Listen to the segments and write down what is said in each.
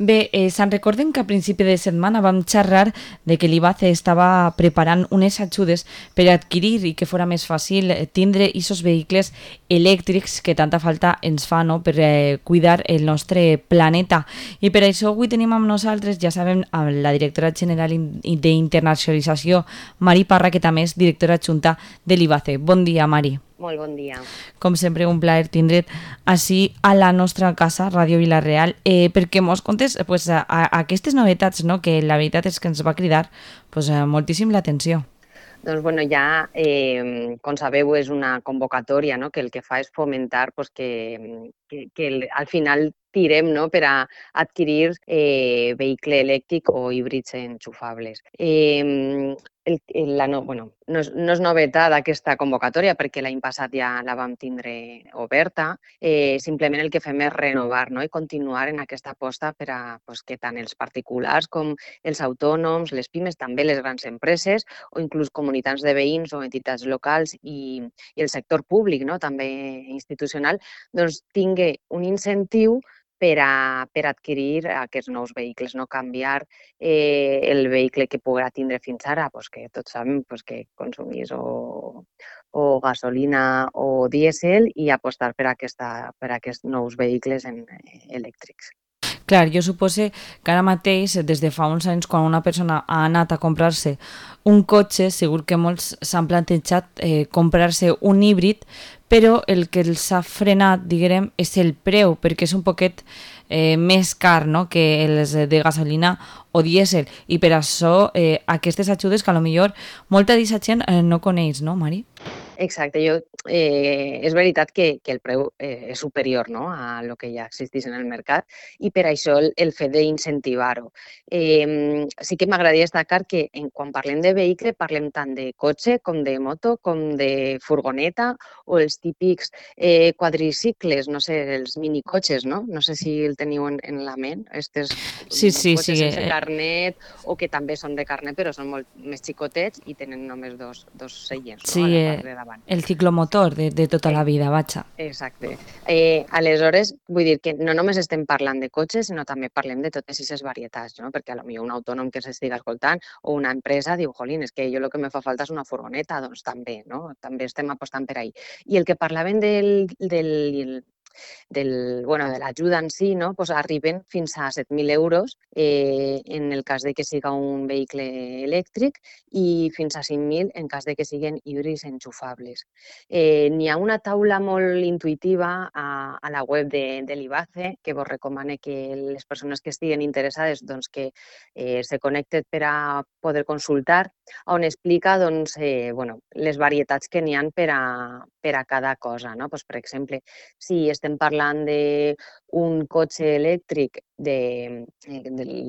Bé, se'n recorden que a principi de setmana vam xerrar de que l'IBACE estava preparant unes ajudes per adquirir i que fora més fàcil tindre aquests vehicles elèctrics que tanta falta ens fa, no?, per cuidar el nostre planeta. I per això avui tenim amb nosaltres, ja sabem, amb la directora general d'internacionalització, Mari Parra, que també és directora adjunta de l'IBACE. Bon dia, Mari. Molt bon dia. Com sempre, un plaer tindre't així a la nostra casa, Ràdio Vila-real, perquè mos contes pues, a aquestes novetats, no?, que la veritat és que ens va cridar pues, moltíssim l'atenció. Doncs bueno, ja, com sabeu, és una convocatòria, no?, que el que fa és fomentar pues, que al final tirem, no?, per a adquirir vehicle elèctric o híbrids enxufables. No és novetat aquesta convocatòria perquè l'any passat ja la vam tindre oberta. Simplement el que fem és renovar, no?, i continuar en aquesta aposta per a pues, que tant els particulars com els autònoms, les pimes, també les grans empreses o inclús comunitats de veïns o entitats locals i el sector públic, no?, també institucional, doncs tingui un incentiu per adquirir aquests nous vehicles, no canviar el vehicle que podrà tindre fins ara, pues que tots sabem pues que consumís o gasolina o dièsel i apostar per aquests nous vehicles elèctrics. Clar, jo supose que ara mateix, des de fa uns anys, quan una persona ha anat a comprar-se un cotxe, segur que molts s'han plantejat comprar-se un híbrid, però el que els ha frenat, diguem, és el preu, perquè és un poquet més car, no?, que els de gasolina o dièsel. I per això aquestes ajudes que potser molta d'aquesta gent no coneix, no, Mari? Exacte, és veritat que el preu és superior, no?, a lo que ja existeix en el mercat i per això el fet d'incentivar-ho. Sí que m'agradaria destacar que quan parlem de vehicle parlem tant de cotxe com de moto com de furgoneta o els típics quadricicles, no sé, els minicotxes, no? No sé si el teniu en la ment, aquests Sí. cotxes sense carnet o que també són de carnet però són molt més xicotets i tenen només dos seients, no?, a la part de davant. El ciclomotor de tota la vida, vaja. Exacte. Aleshores, vull dir que no només estem parlant de cotxes, sinó també parlem de totes aquestes varietats, no? Perquè potser un autònom que s'estiga escoltant o una empresa diu, jolín, és que jo el que me fa falta és una furgoneta, doncs també, no? També estem apostant per ahí. I el que parlaven de l'ajuda en si, no? Pues arriben fins a 7.000 euros en el cas de que siga un vehicle elèctric i fins a 5.000 en cas de que siguin híbrids enxufables. N'hi ha una taula molt intuïtiva a la web de l'IBACE que vos recomano que les persones que estiguen interessades doncs, que se connecten per a poder consultar, on explica doncs, les varietats que n'hi ha per a cada cosa. No? Pues, per exemple, si estem parlant d'un cotxe elèctric de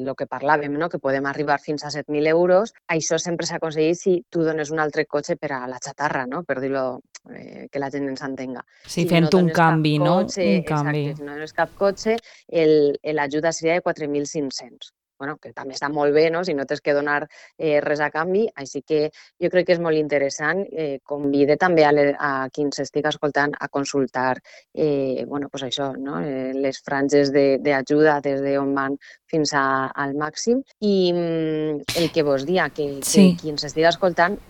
lo que parlàvem, no? Que podem arribar fins a 7.000 euros, això sempre s'aconsegueix si tu dones un altre cotxe per a la xatarra, no? Per dir-ho, que la gent ens entenga. Sí, fent un canvi, no? Un canvi. Exacte, si no dones cap cotxe, l'ajuda seria de 4.500. Bueno, que també està molt bé, no?, si no tens que donar res a canvi, així que jo crec que és molt interessant. Convide també a qui ens estigui escoltant a consultar pues això, no?, les franges d'ajuda des d'on van fins al màxim. I el que vos dia, que qui ens estigui escoltant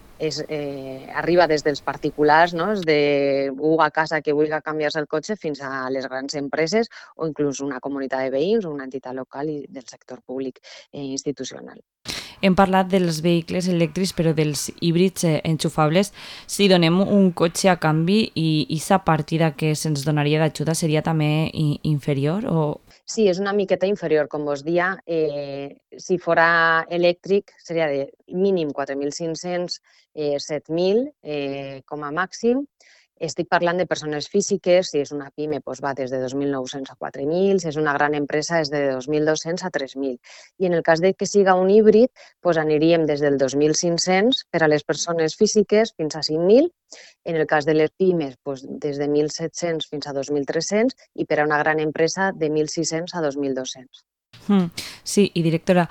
arriba des dels particulars, no?, d'algú a casa que vulgui canviar-se el cotxe fins a les grans empreses o inclús una comunitat de veïns o una entitat local i del sector públic institucional. Hem parlat dels vehicles elèctrics, però dels híbrids enxufables, si donem un cotxe a canvi i aquesta partida que se'ns donaria d'ajuda seria també inferior? O... Sí, és una miqueta inferior, com vos dia. Si fora elèctric seria de mínim 4.500, 7.000 com a màxim. Estic parlant de persones físiques, si és una pime doncs va des de 2.900 a 4.000, si és una gran empresa és de 2.200 a 3.000. I en el cas de que siga un híbrid, doncs aniríem des del 2.500 per a les persones físiques fins a 5.000, en el cas de les pimes doncs des de 1.700 fins a 2.300 i per a una gran empresa de 1.600 a 2.200. Sí, i directora,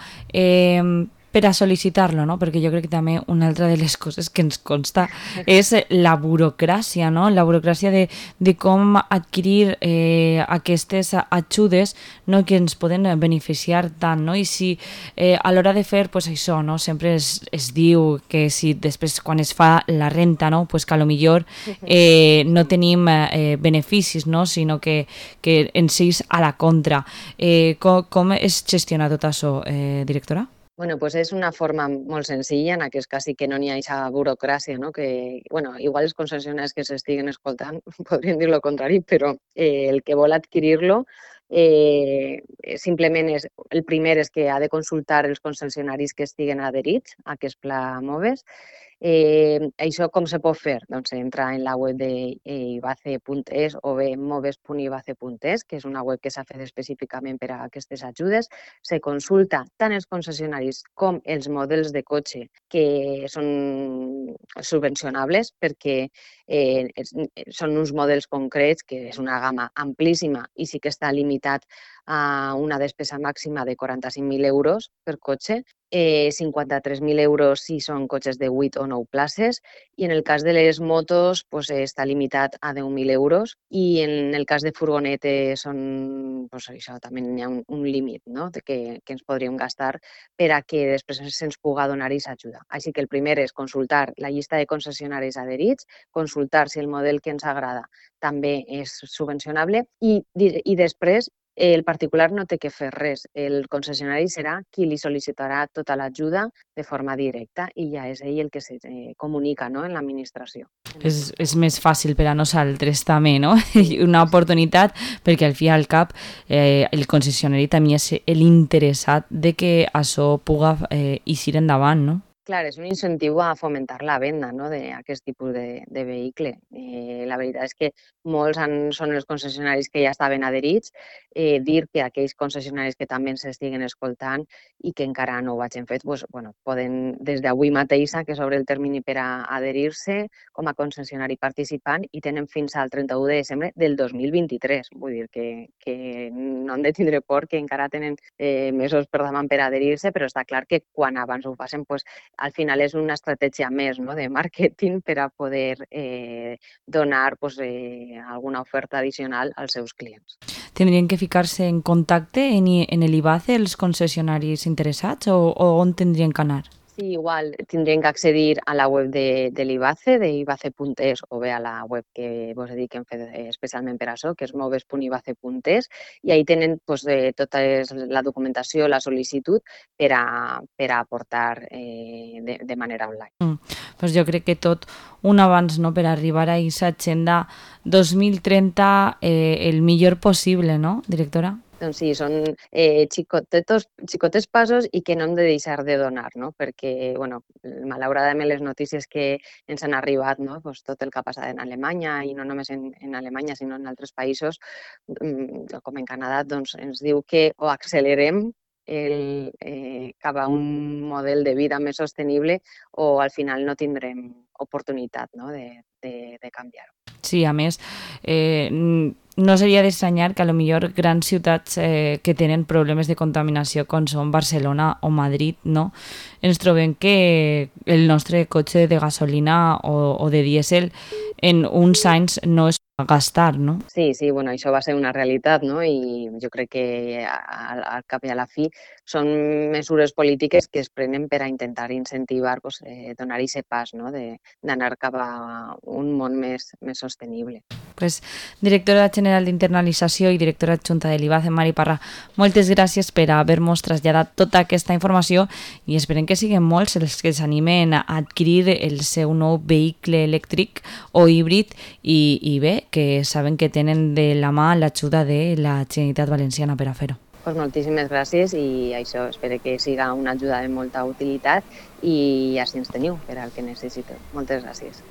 per a sol·licitar-lo, no? Perquè jo crec que també una altra de les coses que ens consta és la burocràcia, no? La burocràcia de com adquirir aquestes ajudes, no? Que ens poden beneficiar tant, no? I si a l'hora de fer, pues això, no? Sempre es diu que si després quan es fa la renta, no? Pues que a lo millor no tenim beneficis, no? Sinó que ens és a la contra. Com es gestiona tot això, directora? Bueno, pues és una forma molt senzilla, en aquest cas sí que no n'hi ha aquesta burocràcia, no? Que, bueno, igual els concessionaris que s'estiguen escoltant podrien dir el contrari, però el que vol adquirir-lo simplement el primer és que ha de consultar els concessionaris que estiguen adherits a aquest pla MOVES. Això com se pot fer? Doncs entra en la web d'ibace.es o bé moves.ibace.es, que és una web que s'ha fet específicament per a aquestes ajudes. Se consulta tant els concessionaris com els models de cotxe que són subvencionables, perquè són uns models concrets, que és una gamma amplíssima i sí que està limitat a una despesa màxima de 45.000 euros per cotxe, 53.000 euros si són cotxes de 8 o 9 places, i en el cas de les motos pues, està limitat a 10.000 euros, i en el cas de furgonetes pues, això també hi ha un límit, no? que ens podríem gastar per a que després se'ns pugui donar aquesta ajuda. Així que el primer és consultar la llista de concessionaris adherits, consultar si el model que ens agrada també és subvencionable i després el particular no té que fer res. El concessionari serà qui li sol·licitarà tota l'ajuda de forma directa i ja és ell el que se comunica, no?, en l'administració. És més fàcil per a nosaltres també, no? Una oportunitat perquè al fi i al cap el concessionari també és l'interessat de que això puga eixir endavant, no? Clar, és un incentiu a fomentar la venda, no?, d'aquest tipus de vehicle. La veritat és que molts són els concessionaris que ja estaven adherits. Dir que aquells concessionaris que també ens estiguen escoltant i que encara no ho hagin fet, doncs, bueno, poden des d'avui mateix, que s'obre el termini per a adherir-se com a concessionari participant, i tenen fins al 31 de desembre del 2023. Vull dir que no han de tindre por, que encara tenen mesos per davant per adherir-se, però està clar que quan abans ho facin, doncs, al final és una estratègia més, no?, de màrqueting per a poder donar alguna oferta addicional als seus clients. Tindrien que ficar-se en contacte en l'IBACE els concessionaris interessats o on tindrien que anar? Sí, igual tindrien que accedir a la web de l'IBACE, d'ibace.es, o bé a la web que vos he dit que hem fet especialment per això, que és moves.ibace.es, i ahí tenen tota la documentació, la sol·licitud per a aportar de manera online. Pues jo crec que tot un abans, no?, per arribar a aquesta agenda 2030 el millor possible, no, directora? Doncs sí, són xicotes passos i que no hem de deixar de donar, no? Perquè, bueno, malauradament les notícies que ens han arribat, no?, pues tot el que ha passat en Alemanya, i no només en Alemanya, sinó en altres països, com en Canadà, doncs ens diu que o accelerem cap a un model de vida més sostenible o al final no tindrem oportunitat, no?, de canviar-ho. Sí, a més, no seria d'estranyar que a lo millor grans ciutats que tenen problemes de contaminació com són Barcelona o Madrid, no?, ens trobem que el nostre cotxe de gasolina o de dièsel en uns anys no es va gastar, no? Sí, bueno, això va ser una realitat, no?, i jo crec que al cap i a la fi són mesures polítiques que es prenen per a intentar incentivar, donar aquest pas, no?, d'anar cap a un món més sostenible. Pues, directora general d'internalització i directora adjunta de l'IBACE, Mari Parra, moltes gràcies per haver-nos traslladat tota aquesta informació i esperem que siguin molts els que s'animen a adquirir el seu nou vehicle elèctric o híbrid i bé, que saben que tenen de la mà l'ajuda de la Generalitat Valenciana per a fer-ho. Pues moltíssimes gràcies i això, espero que siga una ajuda de molta utilitat i així ens teniu per al que necessiteu. Moltes gràcies.